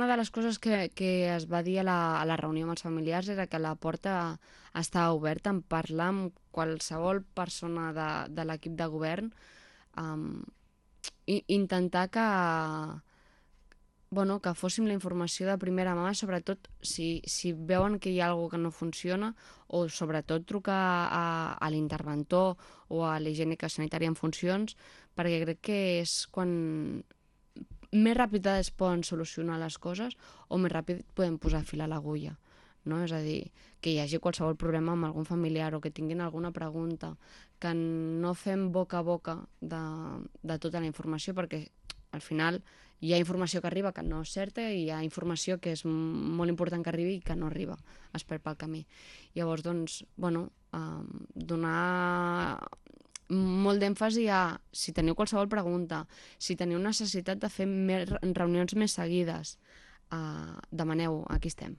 Una de les coses que es va dir a la reunió amb els familiars era que la porta estava oberta en parlar amb qualsevol persona de l'equip de govern, um, i intentar bueno, que fóssim la informació de primera mà, sobretot si veuen que hi ha alguna que no funciona, o sobretot trucar a l'interventor o a la higiènica sanitària en funcions, perquè crec que és quan més ràpid es poden solucionar les coses o més ràpid podem posar fil a l'agulla. No? És a dir, que hi hagi qualsevol problema amb algun familiar o que tinguin alguna pregunta, que no fem boca a boca de tota la informació, perquè al final hi ha informació que arriba que no és certa i hi ha informació que és molt important que arribi i que no arriba, es perd pel camí. Llavors, doncs, bueno, donar molt d'èmfasi a si teniu qualsevol pregunta, si teniu necessitat de fer més reunions més seguides, demaneu, aquí estem.